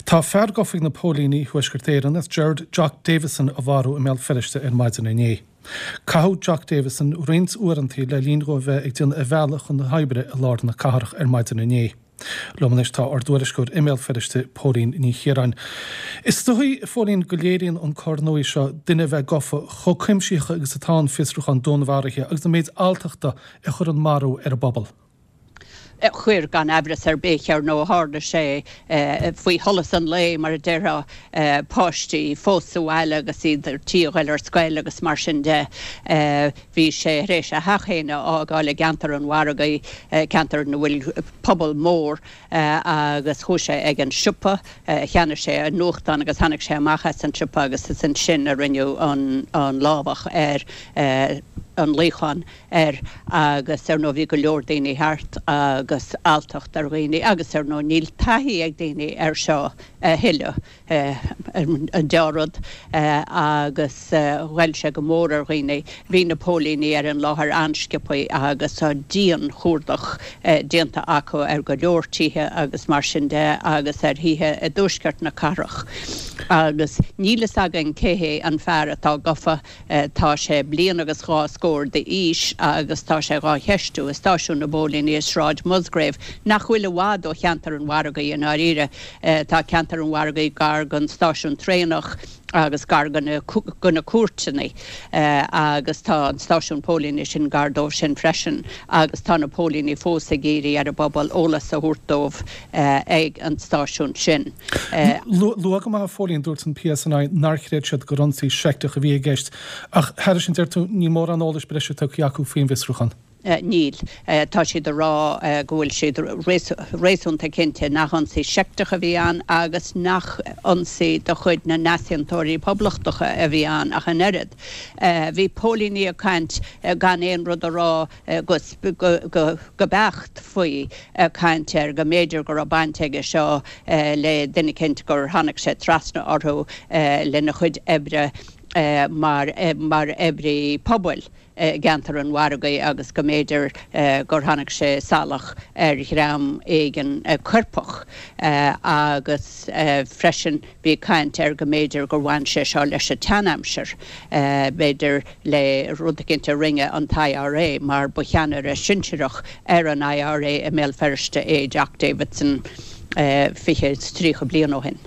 Tá fear gafa ag na póilíní i Thuaisceart Éireann as Gerard Jock Davison a mharú i mBéal Feirste ar maidin inné. Caitheadh Jock Davison roinnt uaireanta le linn dhó a bheith ag déanamh a bhealaigh chun na hoibre i lár na cathrach ar maidin inné. Liom anois tá ár dtuairisceoir i mBéal Feirste, Póilín Ní Chiaráin. Is dóigh, a Phóilín, go léiríonn an cor nua seo, duine a bheith gafa, chomh cuimsitheach agus atá an fiosrúchán dúnmharaithe agus an méid alltachta a chuir an marú ar an bpobal. Chuir, gan aimhreas ar bith. Ar ndóigh, tharla sé faoi sholas an lae, mar a déarfá, páistí fós sa bhaile agus iad ar tí a ghoil ar scoil agus mar sin de. Bhí sé tar éis a theach féin a fhágáil i gceantar an mhargaidh, ceantar ina bhfuil pobal mór, agus chuaigh sé ag an siopa, cheannaigh sé an nuachtán agus tháinig sé amach as an siopa agus is ansin a rinneadh an lámhach ar an luíochán. air agus ar ndóigh bhí go leor daoine thart agus alltacht ar dhaoine agus ar ndóigh níl taithí ag daoine air seo a thuilleadh, an deá-rud agus ghoill sé go mór ar dhaoine. Bhí na póilíní ar an láthair an-sciobthaí agus tá dian-chuardach déanta acu ar go leor tithe agus mar sin de agus ar thithe i dtuaisceart na cathrach agus níl fhios againn cé hé an fear atá gafa. Tá sé bliain agus dhá scór d'aois agus tá sé dhá cheistiú i stáisiún na bpóilíní i Sráid Musgrave, nach bhfuil i bhfad ó cheantar an mhargaidh i ndáiríre. Tá ceantar an mhargaidh gar don stáisiún traenach agus gar do na cúirteanna agus tá an stáisiún póilíní sin gar dóibh sin freisin agus tá na póilíní fós ag iarraidh ar an bpobal eolas a thabhairt dóibh ag an stáisiún sin. Luath go maith a Phóilín, dúirt an PSNI nár chreid siad gur ionsaí seicteach a bhí i gceist ach thairis sin deir tú níl mórán eolais breise tugtha acu faoin bhfiosrúchán. Níl. Tá siad ag rá go bhfuil siad réasúnta cinnte nach ionsaí seicteach a bhí ann agus nach ionsaí de chuid na n-easaontóirí poblachtacha a bhí ann ach an oiread. Bhí póilíní ag caint gan aon rud a rá go beacht faoi, ag caint ar go mb'fhéidir go raibh baint aige seo le duine eicínt gur tháinig sé trasna orthu lena chuid oibre mar mar oibrí pobail i gceantar an mhargaidh agus go mb'fhéidir gur tháinig sé salach ar dhream éigin coirpeach agus freisin Bhí caint ar go mb'fhéidir gur bhain sé seo leis an tseanaimsir, b'fhéidir le rud eicínt a rinne an t-IRA, mar ba cheannaire sinsearach ar an IRA i mBéal Feirste é Jock Davidson 20 is 30 bliain ó shin.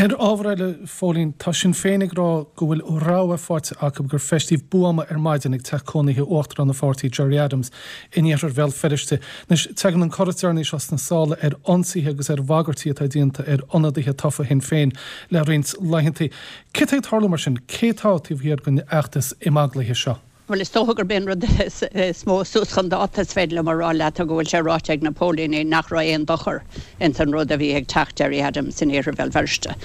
Ar ábhar eile, a Phóilín, tá Sinn Féin ag rá go bhfuil rabhadh faighte acu gur feistíodh buama ar maidin ag teach cónaithe Uachtarán an pháirtí, Gerry Adams, in iarthar Bhéal Feirste. Anois, tagann an cor is deireanaí seo sna sála ar ionsaithe agus ar bhagairtí atá déanta ar ionadaithe tofa Shinn Féin le roinnt laethanta. Céard tá ag tarlú mar sin? Cé atá taobh thiar den fheachtas imeaglaithe seo? Bhuel, is dócha gurb é an rud is mó suas chun dáta is féidir liom a rá leat go bhfuil sé ráite ag na póilíní nach raibh aon dochar ins an rud a bhí ag teach Gerry Adams in iarthar Bhéal Feirste.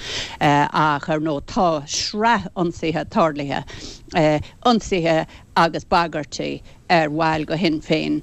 Ach, ar ndóigh, tá sraith ionsaithe tarlaithe, ionsaithe agus bagairtí ar bhaill de Shinn Féin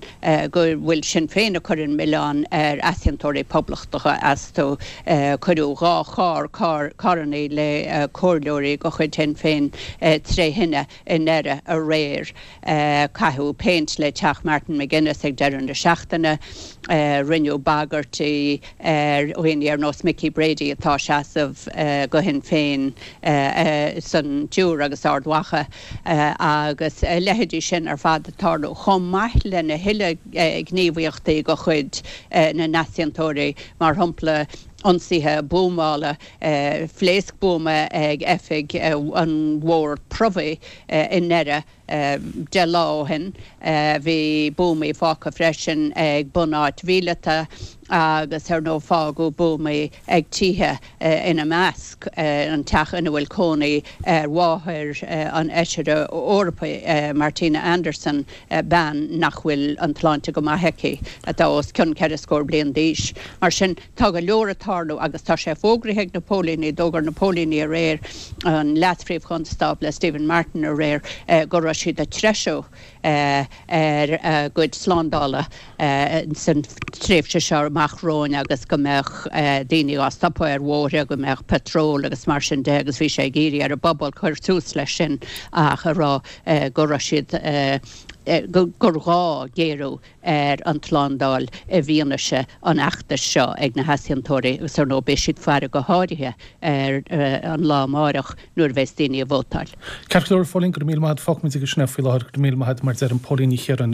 go bhfuil Sinn Féin ag cur an milleán ar easaontóirí poblachtacha astu. Cuireadh 2 charr, carrannaí le comhairleoirí de chuid Shinn Féin tré thine i nDoire aréir. Caitheadh péint le teach Martin McGuinness ag deireadh na seachtaine. Rinneadh bagairtí ar dhaoine ar nós Mickey Brady atá ag seasamh do Shinn Féin san Iúr agus Ard Mhacha. agus a leithéidí sin ar fad ag tarlú, chomh maith lena thuilleadh gníomhaíochtaí de chuid na n-easaontóirí, mar shampla ionsaithe buamála, phléasc buama ag oifig an Bhord Promhaidh i nDoire 10 lá ó shin, bhí buamaí fágtha freisin ag bunáit mhíleata agus ar ndóigh fágadh buamaí ag tithe. ina measc an teach ina bhfuil cónaí ar mháthair an Fheisire Eorpaigh, Martina Anderson, bean nach bhfuil an tsláinte go maith aici, atá os cionn ceithre scór bliain d'aois. Mar sin, tá go leor ag tarlú agus tá sé fógraithe ag na póilíní, d'fhógair na póilíní aréir, an Leas-Phríomh-Chonstábla Stephen Martin aréir, go raibh siad ag treisiú ar a gcuid slándála san tréimhse seo amach romhainn agus go mbeadh daoine á stopadh ar bhóithre, go mbeadh patról agus mar sin de agus bhí sé ag iarraidh ar an bpobal cur suas leis sin ach a rá go raibh siad. Gur ghá géarú ar an tslándáil i bhfianaise an fheachtais seo ag na heasaontóirí agus ar ndóigh beidh siad ag faire go háirithe ar an lá amáireach nuair a bheas daoine ag vótáil. Ceart go leor, a Phóilín, go raibh míle maith agat. Fágfaimid aige sin é faoi láthair. Go raibh míle maith agat, mar a deirim, Póilín Ní Chiaráin.